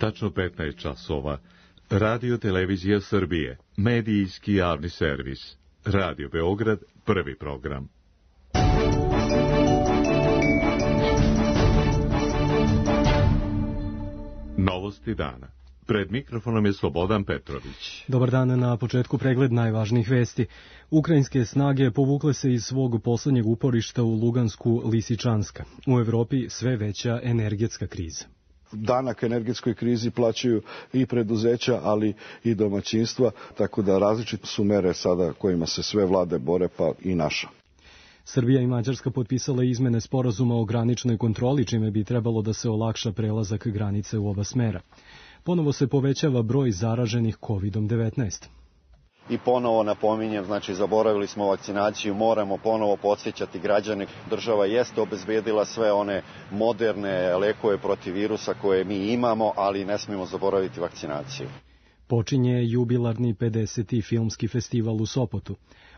Tačno 15 časova. Radio Televizija Srbije, medijski javni servis. Radio Beograd, prvi program. Novosti dana. Pred mikrofonom je Slobodan Petrović. Dobar dan, na početku pregled najvažnijih vesti. Ukrajinske snage povukle se iz svog poslednjeg uporišta u Lugansku Lisičanska. U Evropi sve veća energetska kriza. Danak energetskoj krizi plaćaju i preduzeća, ali i domaćinstva, tako da različite su mere sada kojima se sve vlade bore, pa i naša. Srbija i Mađarska potpisale izmene sporazuma o graničnoj kontroli, čime bi trebalo da se olakša prelazak granice u oba smera. Ponovo se povećava broj zaraženih COVID-19. I ponovo napominjem, zaboravili smo vakcinaciju, moramo ponovo podsjećati građane. Država jeste obezbedila sve one moderne lekove protiv virusa koje mi imamo, ali ne smijemo zaboraviti vakcinaciju. Počinje jubilarni 50. filmski festival u Sopotu.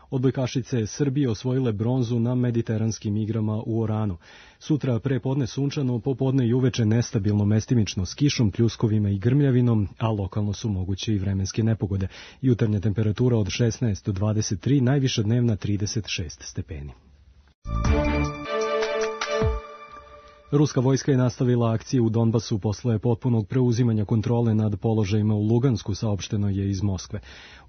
Odbojkašice Srbije osvojile bronzu na mediteranskim igrama u Oranu. Sutra prepodne sunčano, popodne i uveče nestabilno mestimično s kišom, pljuskovima i grmljavinom, a lokalno su moguće i vremenske nepogode. Jutarnja temperatura od 16 do 23, najviša dnevna 36 stepeni. Ruska vojska je nastavila akcije u Donbasu posle potpunog preuzimanja kontrole nad položajima u Lugansku, saopšteno je iz Moskve.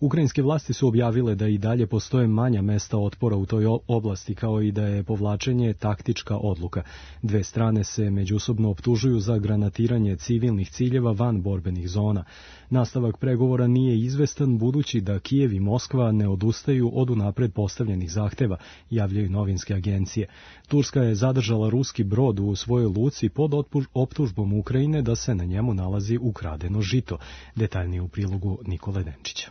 Ukrajinske vlasti su objavile da i dalje postoje manja mesta otpora u toj oblasti, kao i da je povlačenje taktička odluka. Dve strane se međusobno optužuju za granatiranje civilnih ciljeva van borbenih zona. Nastavak pregovora nije izvestan, budući da Kijev i Moskva ne odustaju od unapred postavljenih zahteva, javljaju novinske agencije. Turska je zadržala ruski brod u svojoj luci pod optužbom Ukrajine da se na njemu nalazi ukradeno žito. Detaljnije u prilogu Nikole Denčića.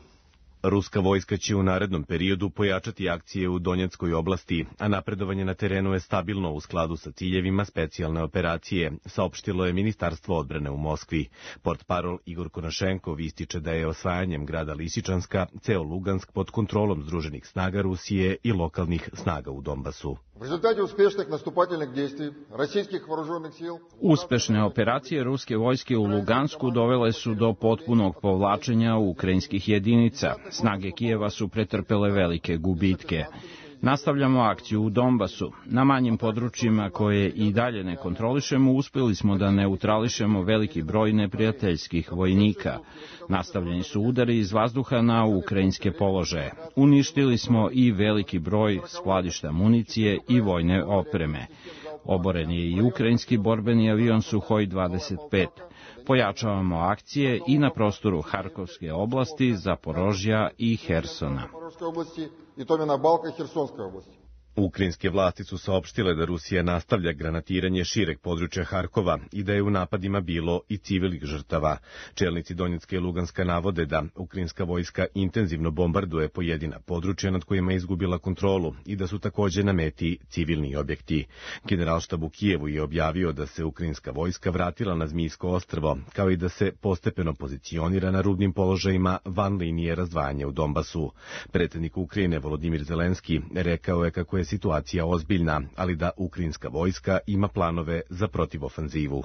Ruska vojska će u narednom periodu pojačati akcije u Donjeckoj oblasti, a napredovanje na terenu je stabilno u skladu sa ciljevima specijalne operacije, saopštilo je Ministarstvo odbrane u Moskvi. Portparol Igor Konašenkov ističe da je osvajanjem grada Lisičanska ceo Lugansk pod kontrolom združenih snaga Rusije i lokalnih snaga u Donbasu. Uspešne operacije ruske vojske u Lugansku dovele su do potpunog povlačenja ukrajinskih jedinica. Snage Kijeva su pretrpele velike gubitke. Nastavljamo akciju u Donbasu. Na manjim područjima koje i dalje ne kontrolišemo, uspjeli smo da neutrališemo veliki broj neprijateljskih vojnika. Nastavljeni su udari iz vazduha na ukrajinske položaje. Uništili smo i veliki broj skladišta municije i vojne opreme. Oboren je i ukrajinski borbeni avion Suhoj 25. Pojačavamo akcije i na prostoru Harkovske oblasti, Zaporožja i Hersona. Ukrajinske vlasti su saopštile da Rusija nastavlja granatiranje šireg područja Harkova i da je u napadima bilo i civilnih žrtava. Čelnici Donjecka i Luganska navode da ukrajinska vojska intenzivno bombarduje pojedina područja nad kojima je izgubila kontrolu i da su takođe na meti civilni objekti. Generalštab u Kijevu je objavio da se ukrajinska vojska vratila na Zmijsko ostrvo, kao i da se postepeno pozicionira na rubnim položajima van linije razdvajanja u Donbasu. Predsjednik Ukrajine Volodimir Zelenski rekao je kako je situacija ozbiljna, ali da ukrajinska vojska ima planove za protivofanzivu.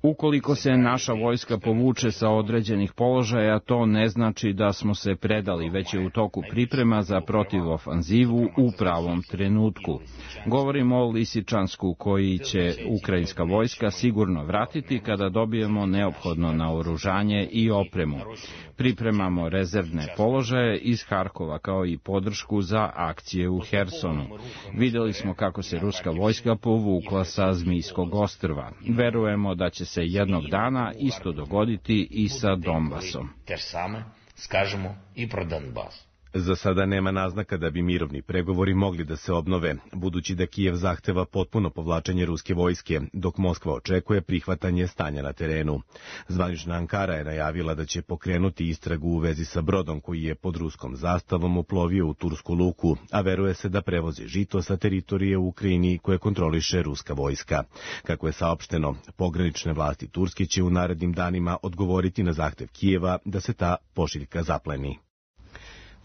Ukoliko se naša vojska povuče sa određenih položaja, to ne znači da smo se predali, već je u toku priprema za protivofanzivu u pravom trenutku. Govorimo o Lisičansku, koji će ukrajinska vojska sigurno vratiti kada dobijemo neophodno naoružanje i opremu. Pripremamo rezervne položaje iz Harkova, kao i podršku za akcije u Hersonu. Videli smo kako se ruska vojska povukla sa Zmijskog ostrva. Verujemo da će se jednog dana isto dogoditi i sa Donbasom. Za sada nema naznaka da bi mirovni pregovori mogli da se obnove, budući da Kijev zahteva potpuno povlačenje ruske vojske, dok Moskva očekuje prihvatanje stanja na terenu. Zvanična Ankara je najavila da će pokrenuti istragu u vezi sa brodom koji je pod ruskom zastavom uplovio u tursku luku, a veruje se da prevozi žito sa teritorije u Ukrajini koje kontroliše ruska vojska. Kako je saopšteno, pogranične vlasti Turske će u narednim danima odgovoriti na zahtev Kijeva da se ta pošiljka zapleni.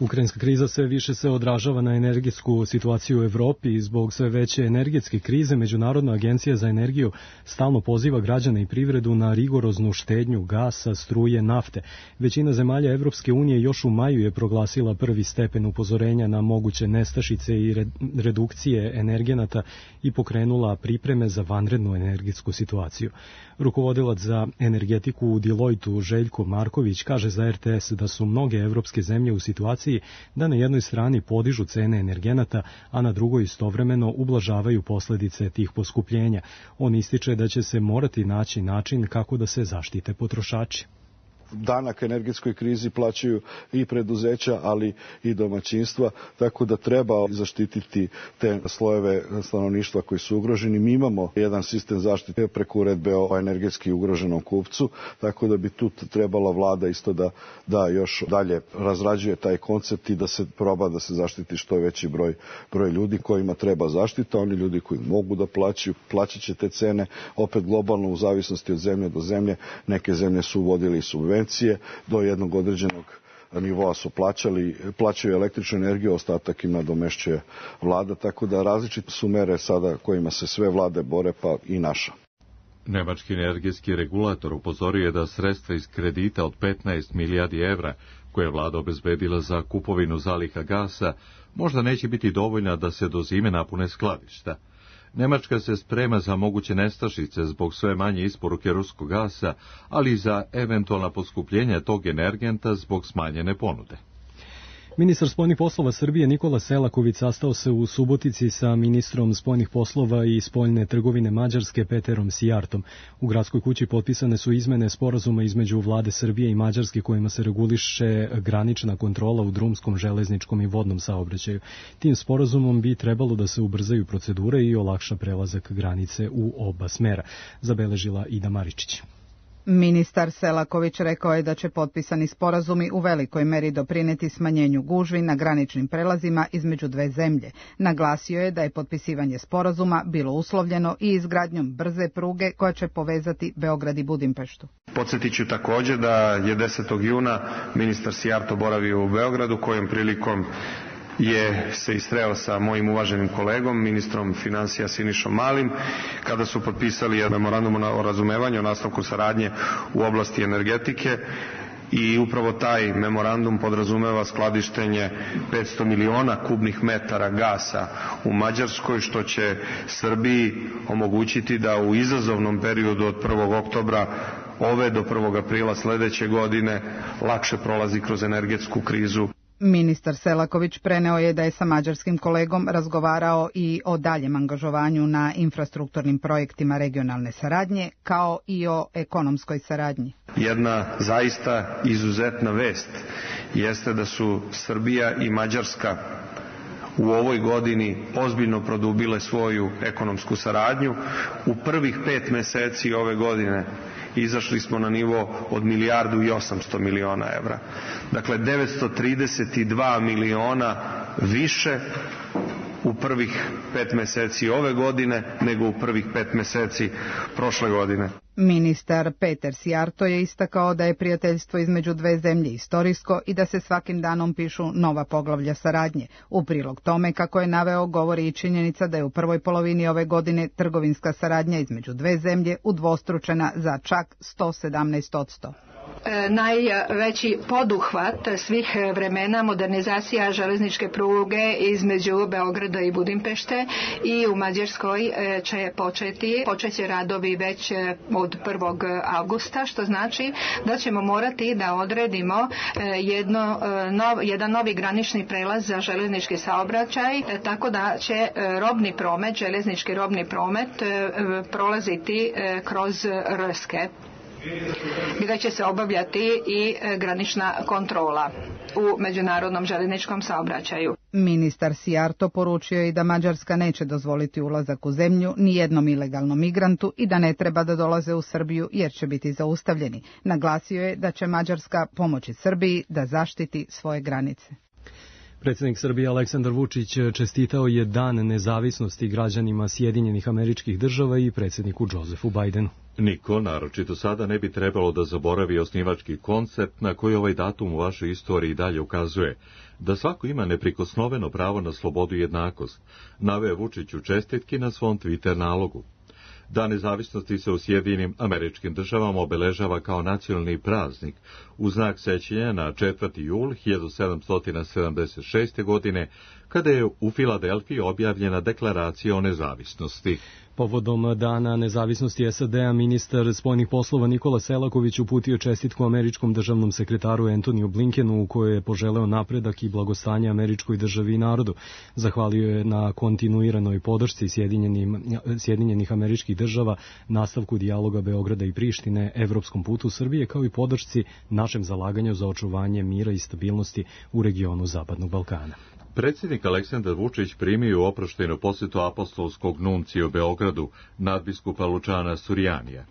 Ukrajinska kriza sve više se odražava na energetsku situaciju u Evropi i zbog sve veće energetske krize Međunarodna agencija za energiju stalno poziva građane i privredu na rigoroznu štednju gasa, struje, nafte. Većina zemalja Evropske unije još u maju je proglasila prvi stepen upozorenja na moguće nestašice i redukcije energenata i pokrenula pripreme za vanrednu energetsku situaciju. Rukovodilac za energetiku u Deloitu Željko Marković kaže za RTS da su mnoge evropske zemlje u situaciji da na jednoj strani podižu cene energenata, a na drugoj istovremeno ublažavaju posljedice tih poskupljenja. On ističe da će se morati naći način kako da se zaštite potrošači. Danak energetskoj krizi plaćaju i preduzeća, ali i domaćinstva, tako da treba zaštititi te slojeve stanovništva koji su ugroženi. Mi imamo jedan sistem zaštite preko uredbe o energetski ugroženom kupcu, tako da bi tu trebala vlada isto da još dalje razrađuje taj koncept i da se proba da se zaštiti što veći broj ljudi kojima treba zaštita. Oni ljudi koji mogu da plaćat će te cene, opet globalno u zavisnosti od zemlje do zemlje. Neke zemlje su uvodili subvencije do jednog određenog nivoa su plaćaju električnu energiju, ostatak im nadomešćuje vlada, tako da različite su mere sada kojima se sve vlade bore, pa i naša. Nemački energetski regulator upozorio je da sredstva iz kredita od 15 milijardi evra koje je vlada obezbedila za kupovinu zaliha gasa možda neće biti dovoljna da se do zime napune skladišta. Nemačka se sprema za moguće nestašice zbog sve manje isporuke ruskog gasa, ali i za eventualna poskupljenja tog energenta zbog smanjene ponude. Ministar spoljnih poslova Srbije Nikola Selaković sastao se u Subotici sa ministrom spoljnih poslova i spoljne trgovine Mađarske Peterom Sijartom. U Gradskoj kući potpisane su izmene sporazuma između vlade Srbije i Mađarske kojima se reguliše granična kontrola u drumskom, železničkom i vodnom saobraćaju. Tim sporazumom bi trebalo da se ubrzaju procedure i olakša prelazak granice u oba smera, zabeležila Ida Maričić. Ministar Selaković rekao je da će potpisani sporazumi u velikoj meri doprineti smanjenju gužvi na graničnim prelazima između dve zemlje. Naglasio je da je potpisivanje sporazuma bilo uslovljeno i izgradnjom brze pruge koja će povezati Beograd i Budimpeštu. Podsjetit ću također da je 10. juna ministar Sijarto boravio u Beogradu, kojom prilikom je se istreo sa mojim uvaženim kolegom, ministrom financija Sinišom Malim, kada su potpisali memorandum o razumevanju o nastavku saradnje u oblasti energetike. I upravo taj memorandum podrazumeva skladištenje 500 miliona kubnih metara gasa u Mađarskoj, što će Srbiji omogućiti da u izazovnom periodu od 1. oktobra ove do 1. aprila sledeće godine lakše prolazi kroz energetsku krizu. Ministar Selaković preneo je da je sa mađarskim kolegom razgovarao i o daljem angažovanju na infrastrukturnim projektima regionalne saradnje, kao i o ekonomskoj saradnji. Jedna zaista izuzetna vest jeste da su Srbija i Mađarska u ovoj godini ozbiljno produbile svoju ekonomsku saradnju. U prvih 5 meseci ove godine izašli smo na nivo od 1.800 miliona evra. Dakle, 932 miliona više u prvih 5 meseci ove godine nego u prvih 5 meseci prošle godine. Ministar Peter Sijarto je istakao da je prijateljstvo između dve zemlje istorijsko i da se svakim danom pišu nova poglavlja saradnje. U prilog tome, kako je naveo, govori i činjenica da je u prvoj polovini ove godine trgovinska saradnja između dve zemlje udvostručena za čak 117%. Najveći poduhvat svih vremena modernizacija železničke pruge između Beograda i Budimpešte i u Mađarskoj će počeće radovi već od 1. avgusta, što znači da ćemo morati da odredimo jedan novi granični prelaz za železnički saobraćaj, tako da će robni promet, železnički robni promet prolaziti kroz Rske, gdje će se obavljati i granična kontrola u međunarodnom željezničkom saobraćaju. Ministar Sijarto poručio i da Mađarska neće dozvoliti ulazak u zemlju ni jednom ilegalnom migrantu i da ne treba da dolaze u Srbiju jer će biti zaustavljeni. Naglasio je da će Mađarska pomoći Srbiji da zaštiti svoje granice. Predsjednik Srbije Aleksandar Vučić čestitao je Dan nezavisnosti građanima Sjedinjenih Američkih Država i predsjedniku Josefu Bidenu. Niko, naročito sada, ne bi trebalo da zaboravi osnivački koncept na koji ovaj datum u vašoj istoriji dalje ukazuje, da svako ima neprikosnoveno pravo na slobodu i jednakost, naveo Vučić u čestitki na svom Twitter nalogu. Dan nezavisnosti se u Sjedinjenim Američkim Državama obeležava kao nacionalni praznik u znak sećanja na 4. jul 1776. godine, kada je u Filadelfiji objavljena deklaracija o nezavisnosti. Povodom Dana nezavisnosti SAD-a ministar spoljnih poslova Nikola Selaković uputio čestitku američkom državnom sekretaru Antoniju Blinkenu, u kojoj je poželeo napredak i blagostanje američkoj državi i narodu. Zahvalio je na kontinuiranoj podršci Sjedinjenih Američkih Država, nastavku dijaloga Beograda i Prištine, evropskom putu Srbije, kao i podršci našem zalaganju za očuvanje mira i stabilnosti u regionu Zapadnog Balkana. Predsjednik Aleksandar Vučić primio u oproštajnu posjetu apostolskog nuncija u Beogradu, nadbiskupa Lučana Surjanija.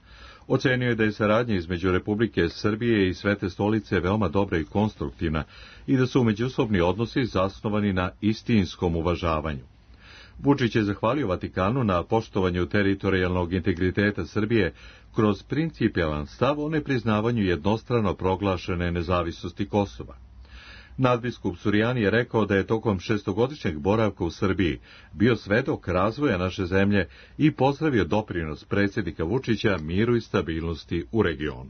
Ocenio je da je saradnja između Republike Srbije i Svete stolice veoma dobra i konstruktivna i da su međusobni odnosi zasnovani na istinskom uvažavanju. Vučić je zahvalio Vatikanu na poštovanju teritorijalnog integriteta Srbije kroz principijelan stav o nepriznavanju jednostrano proglašene nezavisnosti Kosova. Nadbiskup Surjani je rekao da je tokom 6-godišnjeg boravka u Srbiji bio svedok razvoja naše zemlje i pozdravio doprinos predsjednika Vučića miru i stabilnosti u regionu.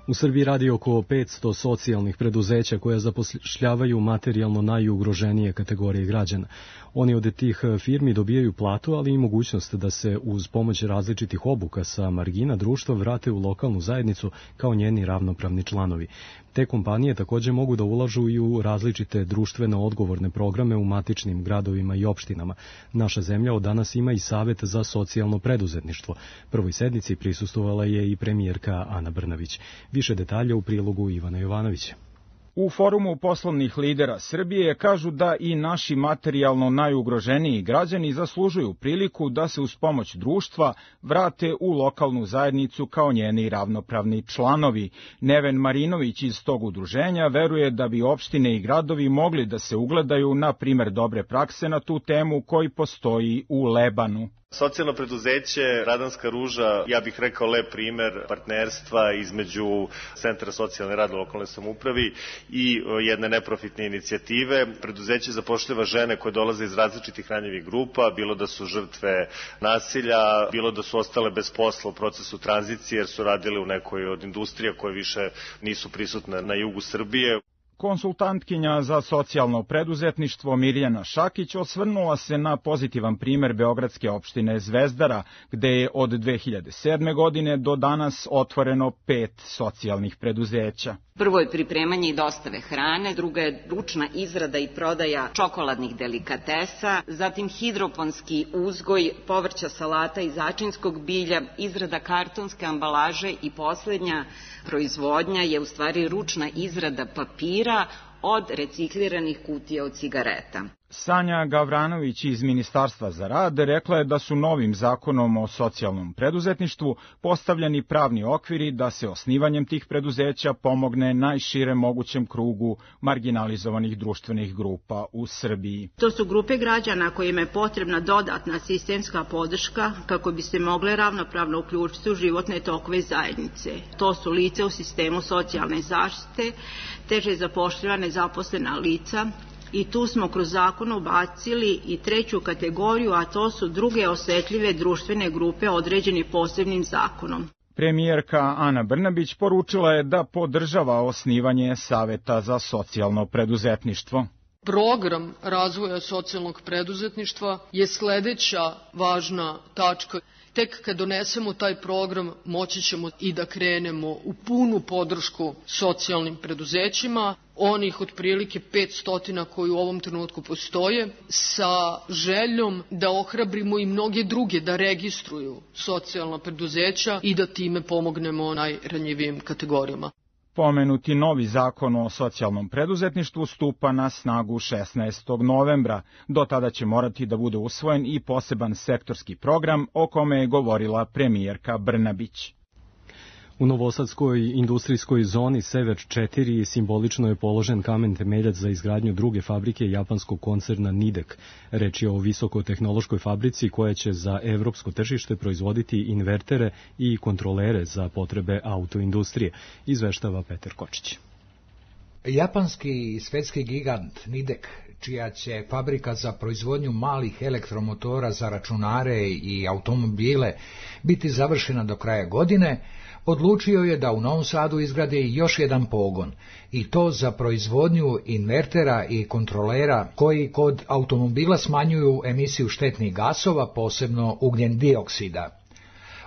U Srbiji radi oko 500 socijalnih preduzeća koja zapošljavaju materijalno najugroženije kategorije građana. Oni od tih firmi dobijaju platu, ali i mogućnost da se uz pomoć različitih obuka sa margina društva vrate u lokalnu zajednicu kao njeni ravnopravni članovi. Te kompanije također mogu da ulažu i u različite društveno odgovorne programe u matičnim gradovima i opštinama. Naša zemlja od danas ima i Savet za socijalno preduzetništvo. Prvoj sednici prisustvovala je i premijerka Ana Brnabić. Više detalja u prilogu Ivana Jovanovića. U forumu poslovnih lidera Srbije kažu da i naši materijalno najugroženiji građani zaslužuju priliku da se uz pomoć društva vrate u lokalnu zajednicu kao njeni ravnopravni članovi. Neven Marinović iz tog udruženja veruje da bi opštine i gradovi mogli da se ugledaju na primer dobre prakse na tu temu koji postoji u Lebanu. Socijalno preduzeće Radanska ruža, ja bih rekao lep primer partnerstva između Centra socijalne rada u lokalnoj samoupravi i jedne neprofitne inicijative. Preduzeće zapošljava žene koje dolaze iz različitih ranjivih grupa, bilo da su žrtve nasilja, bilo da su ostale bez posla u procesu tranzicije jer su radile u nekoj od industrija koje više nisu prisutne na jugu Srbije. Konsultantkinja za socijalno preduzetništvo Mirjana Šakić osvrnula se na pozitivan primer beogradske opštine Zvezdara, gde je od 2007. godine do danas otvoreno 5 socijalnih preduzeća. Prvo je pripremanje i dostave hrane, druga je ručna izrada i prodaja čokoladnih delikatesa, zatim hidroponski uzgoj povrća, salata i začinskog bilja, izrada kartonske ambalaže i poslednja proizvodnja je u stvari ručna izrada papira od recikliranih kutija od cigareta. Sanja Gavranović iz Ministarstva za rad rekla je da su novim zakonom o socijalnom preduzetništvu postavljeni pravni okviri da se osnivanjem tih preduzeća pomogne najširem mogućem krugu marginalizovanih društvenih grupa u Srbiji. To su grupe građana kojima je potrebna dodatna sistemska podrška kako bi se mogle ravnopravno uključiti u životne tokove zajednice. To su lice u sistemu socijalne zaštite, teže zapošljiva nezaposlena lica, i tu smo kroz zakon ubacili i treću kategoriju, a to su druge osetljive društvene grupe određeni posebnim zakonom. Premijerka Ana Brnabić poručila je da podržava osnivanje Saveta za socijalno preduzetništvo. Program razvoja socijalnog preduzetništva je sledeća važna tačka. Tek kad donesemo taj program moći ćemo i da krenemo u punu podršku socijalnim preduzećima, onih otprilike 500 koji u ovom trenutku postoje, sa željom da ohrabrimo i mnoge druge da registruju socijalna preduzeća i da time pomognemo najranjivijim kategorijama. Pomenuti novi zakon o socijalnom preduzetništvu stupa na snagu 16. novembra. Do tada će morati da bude usvojen i poseban sektorski program o kome je govorila premijerka Brnabić. U novosadskoj industrijskoj zoni Sever 4 simbolično je položen kamen temeljac za izgradnju druge fabrike japanskog koncerna Nidek. Reč je o visokotehnološkoj fabrici koja će za evropsko tržište proizvoditi invertere i kontrolere za potrebe autoindustrije, izveštava Petar Kočić. Japanski svetski gigant Nidek, čija će fabrika za proizvodnju malih elektromotora za računare i automobile biti završena do kraja godine, odlučio je da u Novom Sadu izgradi još jedan pogon, i to za proizvodnju invertera i kontrolera koji kod automobila smanjuju emisiju štetnih gasova, posebno ugljen dioksida.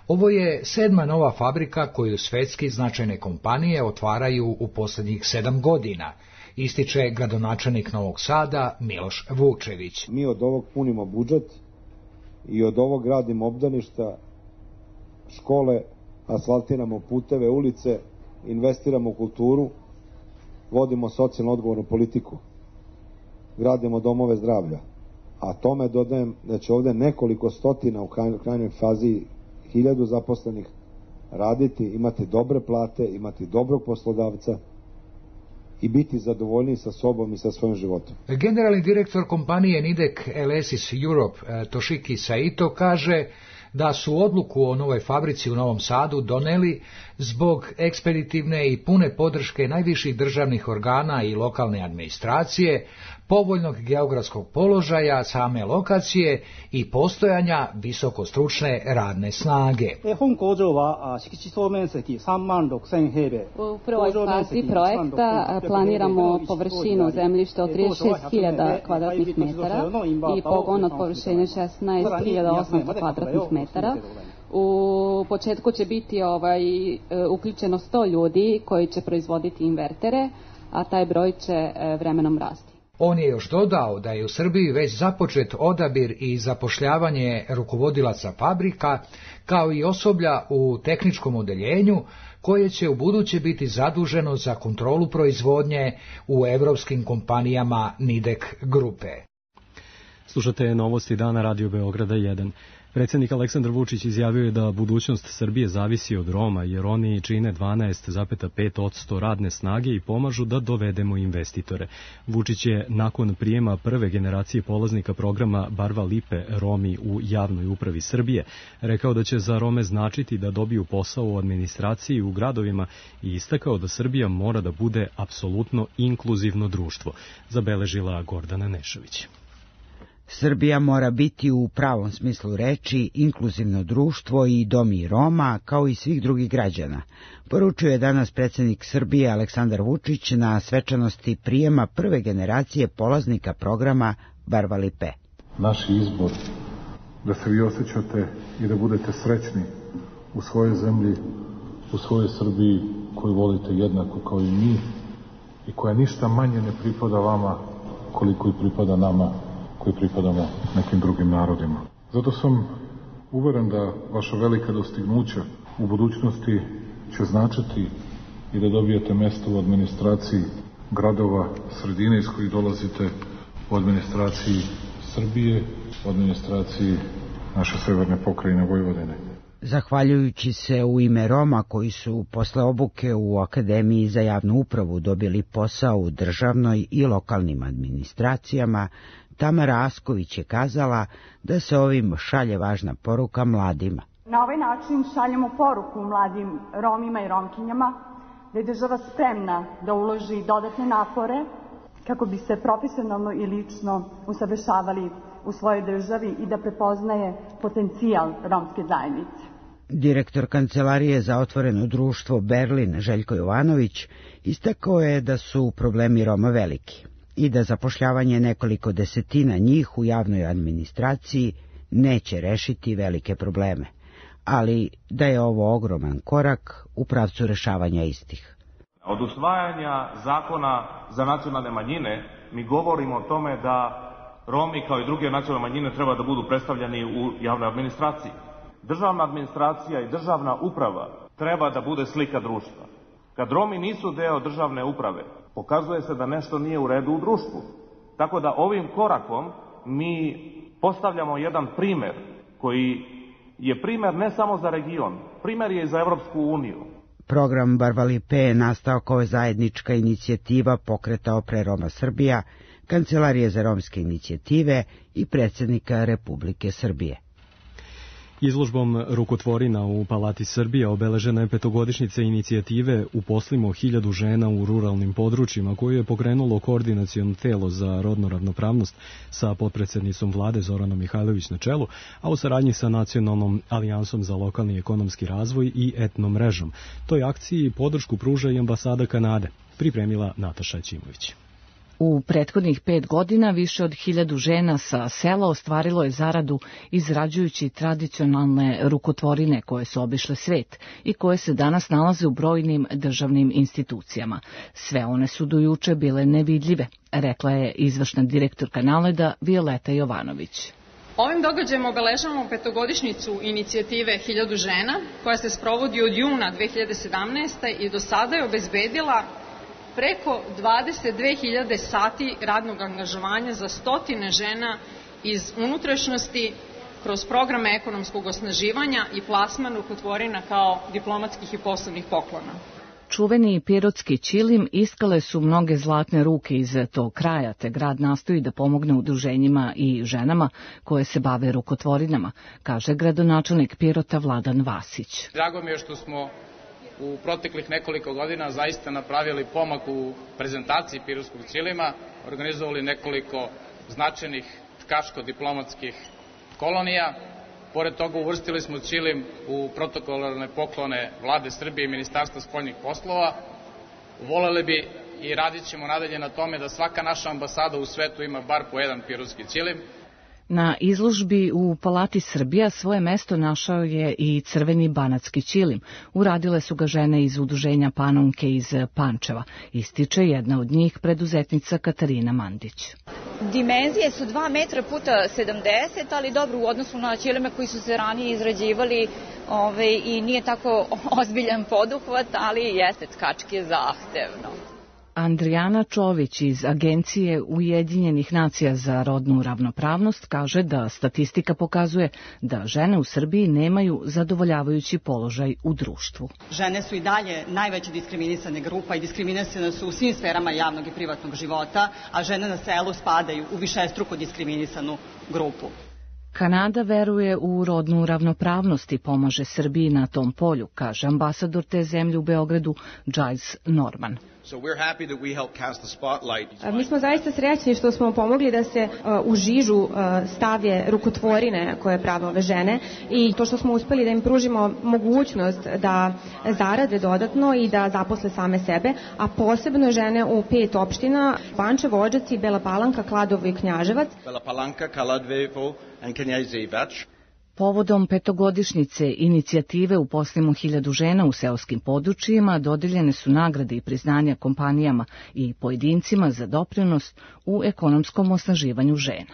Ovo je 7. nova fabrika koju svetski značajne kompanije otvaraju u posljednjih 7 godina, ističe gradonačelnik Novog Sada Miloš Vučević. Mi od ovog punimo budžet i od ovog gradimo obdaništa, škole, asfaltiramo puteve, ulice, investiramo u kulturu, vodimo socijalno odgovornu politiku, gradimo domove zdravlja. A tome dodajem da će ovde nekoliko stotina u krajnjoj fazi 1000 zaposlenih raditi, imati dobre plate, imati dobrog poslodavca i biti zadovoljni sa sobom i sa svojim životom. Generalni direktor kompanije Nidek Alesis Europe Toshiki Saito kaže da su odluku o novoj fabrici u Novom Sadu doneli zbog ekspeditivne i pune podrške najviših državnih organa i lokalne administracije, povoljnog geografskog položaja same lokacije i postojanja visokostručne radne snage. U prvoj fazi projekta planiramo površinu zemljišta od 36.000 kvadratnih metara i pogon od površine 16.800 kvadratnih metara. U početku će biti uključeno 100 ljudi koji će proizvoditi invertere, a taj broj će vremenom rasti. On je još dodao da je u Srbiji već započet odabir i zapošljavanje rukovodilaca fabrika, kao i osoblja u tehničkom odeljenju, koje će u buduće biti zaduženo za kontrolu proizvodnje u evropskim kompanijama Nidek grupe. Slušate novosti dana Radio Beograda 1. Predsjednik Aleksandar Vučić izjavio je da budućnost Srbije zavisi od Roma, jer oni čine 12,5% radne snage i pomažu da dovedemo investitore. Vučić je nakon prijema prve generacije polaznika programa Barva Lipe Romi u javnoj upravi Srbije rekao da će za Rome značiti da dobiju posao u administraciji u gradovima i istakao da Srbija mora da bude apsolutno inkluzivno društvo, zabeležila Gordana Nešović. Srbija mora biti u pravom smislu reči inkluzivno društvo i domi Roma kao i svih drugih građana, poručio je danas predsjednik Srbije Aleksandar Vučić na svečanosti prijema prve generacije polaznika programa Barva Lipe. Naš izbor da se vi osjećate i da budete srećni u svojoj zemlji, u svojoj Srbiji koju volite jednako kao i mi i koja ništa manje ne pripada vama koliko i pripada nama koji pripadamo nekim drugim narodima. Zato sam uveren da vaša velika dostignuća u budućnosti će značiti i da dobijete mesto u administraciji gradova, sredine iz kojih dolazite, u administraciji Srbije, u administraciji naše severne pokrajine Vojvodine. Zahvaljujući se u ime Roma koji su posle obuke u Akademiji za javnu upravu dobili posao u državnoj i lokalnim administracijama, Tamara Asković je kazala da se ovim šalje važna poruka mladima. Na ovaj način šaljemo poruku mladim Romima i Romkinjama da je država spremna da uloži dodatne napore kako bi se profesionalno i lično usavršavali u svojoj državi i da prepoznaje potencijal romske zajednice. Direktor Kancelarije za otvoreno društvo Berlin Željko Jovanović istakao je da su problemi Roma veliki i da zapošljavanje nekoliko desetina njih u javnoj administraciji neće rešiti velike probleme, ali da je ovo ogroman korak u pravcu rešavanja istih. Od usvajanja zakona za nacionalne manjine mi govorimo o tome da Romi kao i druge nacionalne manjine treba da budu predstavljeni u javnoj administraciji. Državna administracija i državna uprava treba da bude slika društva. Kad Romi nisu deo državne uprave, pokazuje se da nešto nije u redu u društvu. Tako da ovim korakom mi postavljamo jedan primer koji je primer ne samo za region, primer je i za Evropsku uniju. Program Barvalipe je nastao kao zajednička inicijativa Pokreta Opre Roma Srbija, Kancelarije za romske inicijative i predsjednika Republike Srbije. Izložbom rukotvorina u Palati Srbije obeležena je petogodišnjica inicijative Uposlimo 1000 žena u ruralnim područjima, koju je pokrenulo koordinaciono telo za rodnu ravnopravnost sa potpredsjednicom vlade Zoranom Mihajlović na čelu, a u saradnji sa Nacionalnom alijansom za lokalni ekonomski razvoj i etno mrežom. Toj akciji podršku pruža i ambasada Kanade, pripremila Nataša Ćimović. U prethodnih 5 godina više od 1000 žena sa sela ostvarilo je zaradu izrađujući tradicionalne rukotvorine koje su obišle svet i koje se danas nalaze u brojnim državnim institucijama. Sve one su do juče bile nevidljive, rekla je izvršna direktorka NALED-a Violeta Jovanović. Ovim događajem obeležavamo petogodišnjicu inicijative 1000 žena koja se sprovodi od juna 2017. i do sada je obezbedila preko 22.000 sati radnog angažovanja za stotine žena iz unutrašnjosti kroz programe ekonomskog osnaživanja i plasman rukotvorina kao diplomatskih i poslovnih poklona. Čuveni pirotski ćilim iskale su mnoge zlatne ruke iz tog kraja, te grad nastoji da pomogne udruženjima i ženama koje se bave rukotvorinama, kaže gradonačelnik Pirota Vladan Vasić. Drago mi je što smo u proteklih nekoliko godina zaista napravili pomak u prezentaciji pirotskog ćilima, organizovali nekoliko značajnih tkaško-diplomatskih kolonija. Pored toga uvrstili smo ćilim u protokolarne poklone Vlade Srbije i Ministarstva spoljnih poslova. Voleli bi i radit ćemo nadalje na tome da svaka naša ambasada u svetu ima bar po jedan pirotski ćilim. Na izložbi u Palati Srbija svoje mesto našao je i crveni banatski ćilim. Uradile su ga žene iz udruženja Panonke iz Pančeva. Ističe jedna od njih preduzetnica Katarina Mandić. Dimenzije su 2 metra puta 70, ali dobro u odnosu na ćilime koji su se ranije izrađivali i nije tako ozbiljan poduhvat, ali jeste tkački zahtevno. Andrijana Čović iz Agencije Ujedinjenih nacija za rodnu ravnopravnost kaže da statistika pokazuje da žene u Srbiji nemaju zadovoljavajući položaj u društvu. Žene su i dalje najveća diskriminisana grupa i diskriminisane su u svim sferama javnog i privatnog života, a žene na selu spadaju u višestruko diskriminisanu grupu. Kanada veruje u rodnu ravnopravnost i pomaže Srbiji na tom polju, kaže ambasador te zemlje u Beogradu Giles Norman. Mi smo zaista srećni što smo pomogli da se u žižu stave rukotvorine koje prave ove žene i to što smo uspeli da im pružimo mogućnost da zarade dodatno i da zaposle same sebe, a posebno žene u 5 opština: Pančevo, Odžaci, Bela Palanka, Kladovo i Knjaževac. Povodom petogodišnjice inicijative Uposlimo 1000 žena u seoskim područjima dodeljene su nagrade i priznanja kompanijama i pojedincima za doprinos u ekonomskom osnaživanju žena.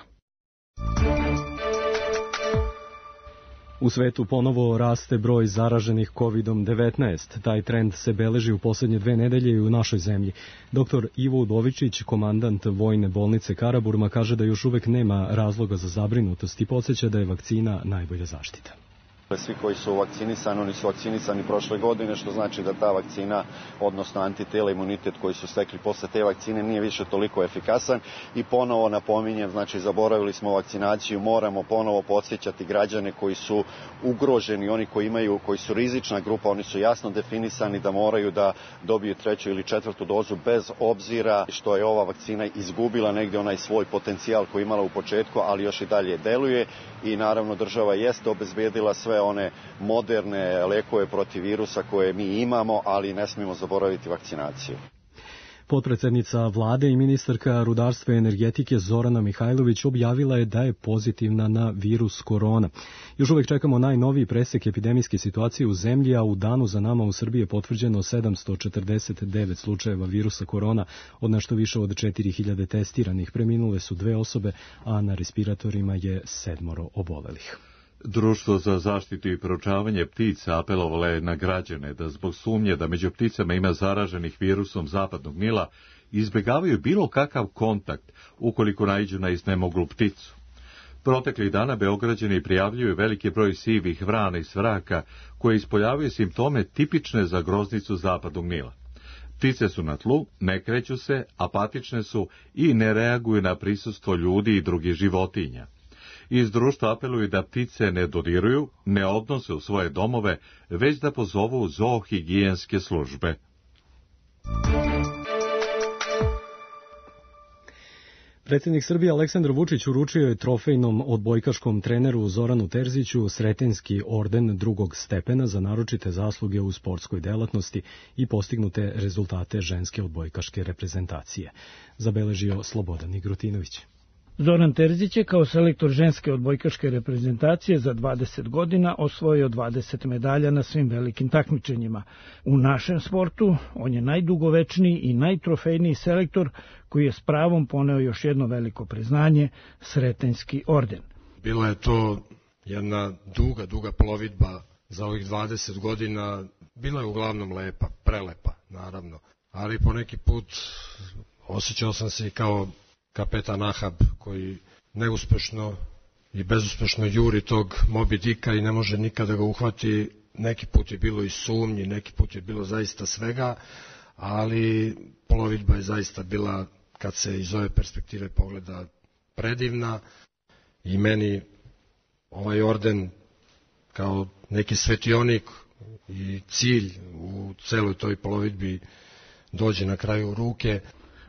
U svetu ponovo raste broj zaraženih COVID-19. Taj trend se beleži u posljednje 2 nedelje i u našoj zemlji. Dr. Ivo Udovičić, komandant Vojne bolnice Karaburma, kaže da još uvek nema razloga za zabrinutost i podsjeća da je vakcina najbolja zaštita. Svi koji su vakcinisani, oni su vakcinisani prošle godine, što znači da ta vakcina, odnosno antitela, imunitet koji su stekli posle te vakcine nije više toliko efikasan i ponovo napominjem, znači zaboravili smo vakcinaciju, moramo ponovo podsjećati građane koji su ugroženi, oni koji su rizična grupa, oni su jasno definisani da moraju da dobiju 3. ili 4. dozu bez obzira što je ova vakcina izgubila negdje onaj svoj potencijal koji je imala u početku, ali još i dalje deluje i naravno država jeste obezbedila sve one moderne lekove protiv virusa koje mi imamo, ali ne smijemo zaboraviti vakcinaciju. Potpredsednica vlade i ministarka rudarstva i energetike Zorana Mihajlović objavila je da je pozitivna na virus korona. Još uvek čekamo najnoviji presek epidemijske situacije u zemlji, a u danu za nama u Srbiji je potvrđeno 749 slučajeva virusa korona, od nešto više od 4000 testiranih. Preminule su 2 osobe, a na respiratorima je 7 obolelih. Društvo za zaštitu i proučavanje ptica apelovalo je na građane da zbog sumnje da među pticama ima zaraženih virusom zapadnog Nila izbjegavaju bilo kakav kontakt ukoliko naiđu na iznemoglu pticu. Proteklih dana Beograđani prijavljuju veliki broj sivih vrana i svraka koje ispoljavaju simptome tipične za groznicu zapadnog Nila. Ptice su na tlu, ne kreću se, apatične su i ne reaguju na prisustvo ljudi i drugih životinja. Iz društva apeluju da ptice ne dodiruju, ne odnose u svoje domove, već da pozovu zoohigijenske službe. Predsjednik Srbije Aleksandar Vučić uručio je trofejnom odbojkaškom treneru Zoranu Terziću Sretenjski orden drugog stepena za naročite zasluge u sportskoj delatnosti i postignute rezultate ženske odbojkaške reprezentacije, zabeležio Slobodan Igrutinović. Zoran Terzić je kao selektor ženske odbojkaške reprezentacije za 20 godina osvojio 20 medalja na svim velikim takmičenjima. U našem sportu on je najdugovečniji i najtrofejniji selektor koji je s pravom poneo još jedno veliko priznanje, Sretenjski orden. Bila je to jedna duga plovidba za ovih 20 godina. Bila je uglavnom lepa, prelepa, naravno. Ali po neki put osjećao sam se i kao kapetan Ahab koji neuspešno i bezuspešno juri tog Moby Dicka i ne može nikada ga uhvati. Neki put je bilo i sumnji, neki put je bilo zaista svega, ali plovidba je zaista bila, kad se iz ove perspektive pogleda, predivna i meni ovaj orden kao neki svetionik i cilj u celoj toj plovidbi dođe na kraju u ruke.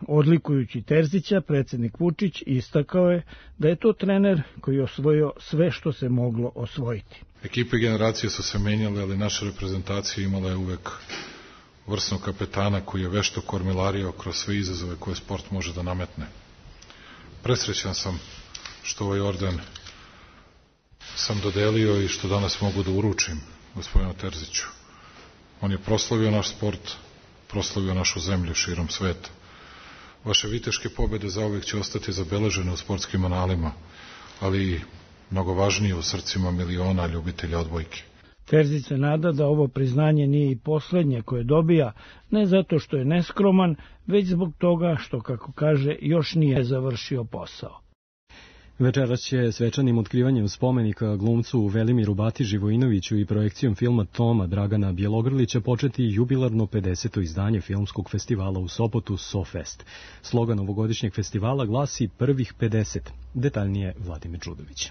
Odlikujući Terzića, predsjednik Vučić istakao je da je to trener koji je osvojio sve što se moglo osvojiti. Ekipe i generacije su se menjale, ali naša reprezentacija imala je uvek vrsnog kapetana koji je vešto kormilario kroz sve izazove koje sport može da nametne. Presrećan sam što ovaj orden sam dodelio i što danas mogu da uručim gospodinu Terziću. On je proslavio naš sport, proslavio našu zemlju širom sveta. Vaše viteške pobjede zauvek će ostati zabeležene u sportskim analima, ali i mnogo važnije u srcima miliona ljubitelja odbojke. Terzić se nada da ovo priznanje nije i poslednje koje dobija, ne zato što je neskroman, već zbog toga što, kako kaže, još nije završio posao. Večeras će svečanim otkrivanjem spomenika glumcu Velimiru Bati Živojinoviću i projekcijom filma Toma Dragana Bjelogrlića početi jubilarno 50. izdanje filmskog festivala u Sopotu SoFest. Slogan ovogodišnjeg festivala glasi Prvih 50. Detaljnije Vladimir Đudović.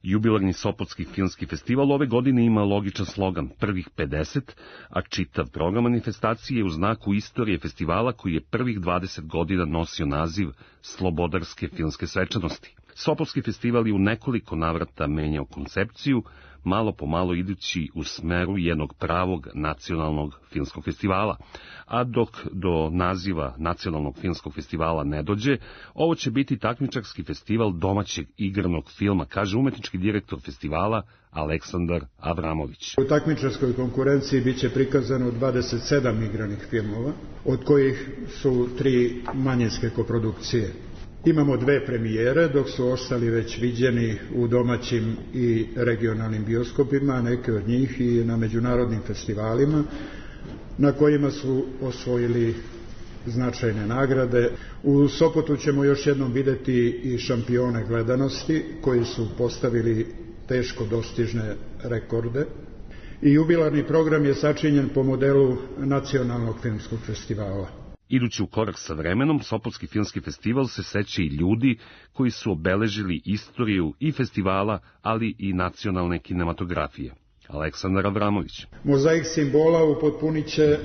Jubilarni Sopotski filmski festival ove godine ima logičan slogan Prvih 50, a čitav program manifestacije je u znaku istorije festivala koji je prvih 20 godina nosio naziv Slobodarske filmske svečanosti. Sopotski festival je u nekoliko navrata menjao koncepciju, malo po malo idući u smeru jednog pravog nacionalnog filmskog festivala. A dok do naziva nacionalnog filmskog festivala ne dođe, ovo će biti takmičarski festival domaćeg igranog filma, kaže umetnički direktor festivala Aleksandar Avramović. U takmičarskoj konkurenciji biće prikazano 27 igranih filmova, od kojih su 3 manjinske koprodukcije. Imamo 2 premijere, dok su ostali već viđeni u domaćim i regionalnim bioskopima, neke od njih i na međunarodnim festivalima, na kojima su osvojili značajne nagrade. U Sopotu ćemo još jednom videti i šampione gledanosti, koji su postavili teško dostižne rekorde. I jubilarni program je sačinjen po modelu Nacionalnog filmskog festivala. Idući u korak sa vremenom, Sopotski filmski festival se seća i ljudi koji su obeležili istoriju i festivala, ali i nacionalne kinematografije. Aleksandar Avramović. Mozaik simbola upotpunit će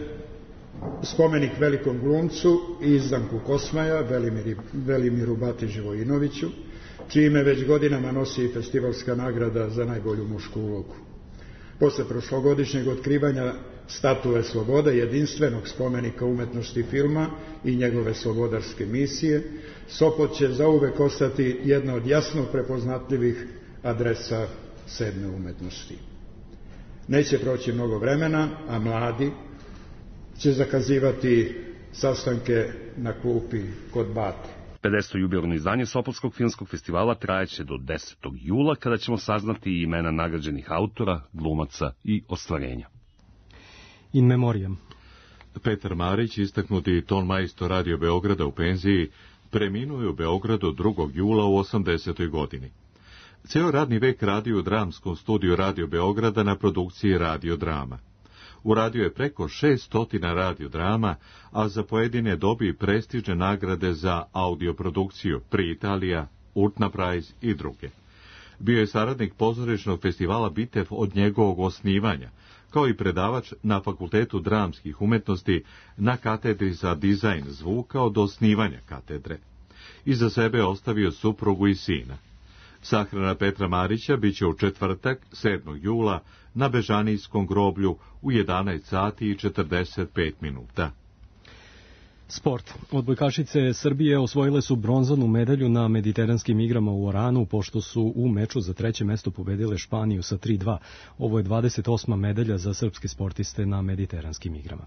spomenik velikom glumcu i izdanku Kosmaja, Velimiru Bati Živojinoviću, čime već godinama nosi i festivalska nagrada za najbolju mušku ulogu. Posle prošlogodišnjeg otkrivanja statue slobode, jedinstvenog spomenika umetnosti filma i njegove slobodarske misije, Sopot će zauvek ostati jedna od jasno prepoznatljivih adresa sedme umetnosti. Neće proći mnogo vremena, a mladi će zakazivati sastanke na klupi kod Bate. 50. jubilarno izdanje Sopotskog filmskog festivala trajeće do 10. jula, kada ćemo saznati imena nagrađenih autora, glumaca i ostvarenja. In memoriam. Petar Marić, istaknuti tonmajstor Radio Beograda u penziji, preminuo je u Beogradu 2. jula u 80. godini. Ceo radni vek radio u dramskom studiju Radio Beograda na produkciji Radio Drama. Uradio je preko 600 radiodrama, a za pojedine dobi prestižne nagrade za audioprodukciju Pri Italija, Urtna Prize i druge. Bio je saradnik pozorišnog festivala Bitev od njegovog osnivanja, kao i predavač na Fakultetu dramskih umetnosti na katedri za dizajn zvuka od osnivanja katedre. Iza sebe ostavio suprugu i sina. Sahrana Petra Marića biće u četvrtak, 7. jula, na Bežanijskom groblju u 11 sati i 45 minuta. Sport. Odbojkašice Srbije osvojile su bronzanu medalju na mediteranskim igrama u Oranu, pošto su u meču za treće mesto pobedile Španiju sa 3:2. Ovo je 28. medalja za srpske sportiste na mediteranskim igrama.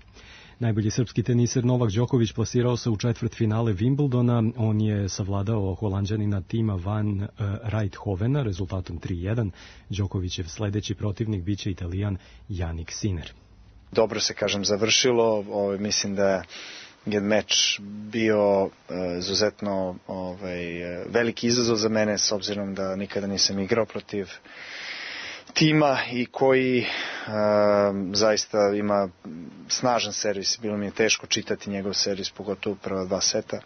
Najbolji srpski teniser Novak Đoković plasirao se u četvrtfinale Wimbledona. On je savladao Holanđanina Tima van Rijthovena rezultatom 3:1. Đokovićev sledeći protivnik biće Italijan Jannik Sinner. Dobro se, završilo. Mislim da je meč bio izuzetno veliki izazov za mene, s obzirom da nikada nisam igrao protiv tima i koji zaista ima snažan servis. Bilo mi je teško čitati njegov servis, pogotovo prva 2 seta.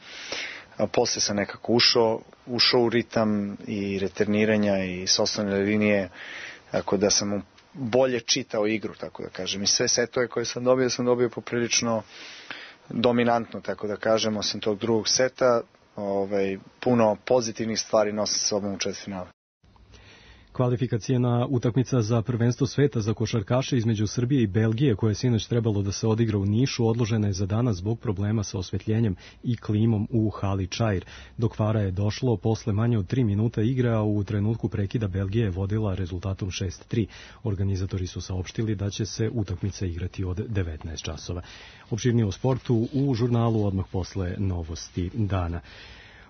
A posle sam nekako ušao u ritam i returniranja i s osnovne linije, tako da sam bolje čitao igru, tako da kažem. I sve setove koje sam dobio poprilično dominantno, tako da kažem, osim tog drugog seta, puno pozitivnih stvari nosi sa sobom u četvrtfinalu. Kvalifikacijna utakmica za prvenstvo sveta za košarkaše između Srbije i Belgije, koje je sinoć trebalo da se odigra u Nišu, odložena je za danas zbog problema sa osvetljenjem i klimom u hali Čair. Do kvara je došlo posle manje od 3 minuta igre, a u trenutku prekida Belgija je vodila rezultatom 6:3. Organizatori su saopštili da će se utakmica igrati od 19 časova. Opširnije o sportu u žurnalu odmah posle novosti dana.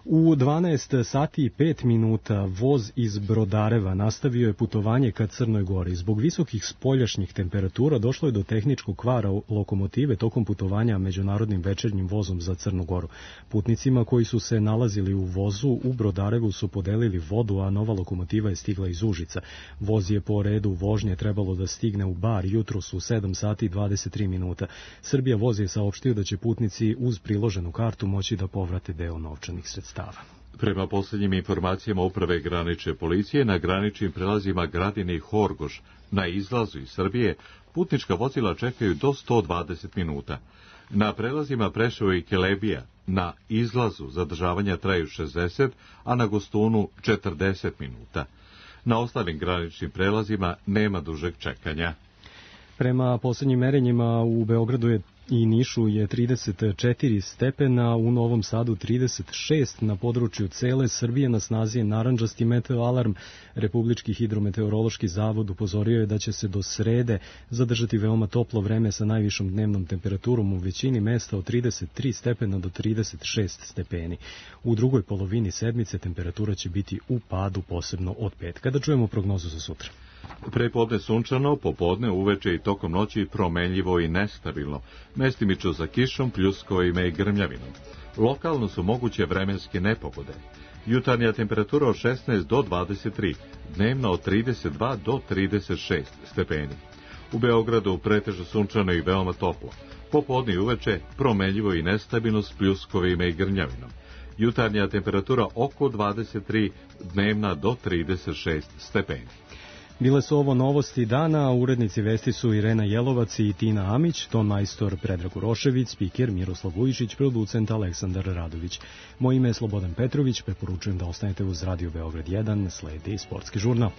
U 12 sati i 5 minuta voz iz Brodareva nastavio je putovanje ka Crnoj Gori. Zbog visokih spoljašnjih temperatura došlo je do tehničkog kvara lokomotive tokom putovanja međunarodnim večernjim vozom za Crnu Goru. Putnicima koji su se nalazili u vozu u Brodarevu su podelili vodu, a nova lokomotiva je stigla iz Užica. Voz je po redu vožnje trebalo da stigne u Bar jutros u 7 sati i 23 minuta. Srbija voz je saopštio da će putnici uz priloženu kartu moći da povrate deo novčanih sredstava. Prema posljednjim informacijama Uprave granične policije, na graničnim prelazima Gradine i Horgoš na izlazu iz Srbije putnička vozila čekaju do 120 minuta. Na prelazima Preševo i Kelebija na izlazu zadržavanja traju 60, a na Gostunu 40 minuta. Na ostalim graničnim prelazima nema dužeg čekanja. Prema posljednjim merenjima u Beogradu i Nišu je 34 stepena, u Novom Sadu 36, na području cele Srbije na snazi je narandžasti meteoalarm. Republički hidrometeorološki zavod upozorio je da će se do srede zadržati veoma toplo vreme sa najvišom dnevnom temperaturom u većini mesta od 33 stepena do 36 stepeni. U drugoj polovini sedmice temperatura će biti u padu, posebno od petka. Da čujemo prognozu za sutra. Prepodne sunčano, popodne, uveče i tokom noći promenljivo i nestabilno. Mestimično za kišom, pljuskovima i grmljavinom. Lokalno su moguće vremenske nepogode. Jutarnja temperatura od 16 do 23, dnevna od 32 do 36 stepeni. U Beogradu pretežno sunčano i veoma toplo. Popodne i uveče promenljivo i nestabilno s pljuskovima i grmljavinom. Jutarnja temperatura oko 23, dnevna do 36 stepeni. Bile su ovo novosti dana, urednici vesti su Irena Jelovac i Tina Amić, ton majstor Predrag Urošević, spiker Miroslav Vujičić, producent Aleksandar Radović. Moje ime je Slobodan Petrović, preporučujem da ostanete uz Radio Beograd 1, sledi sportski žurnal.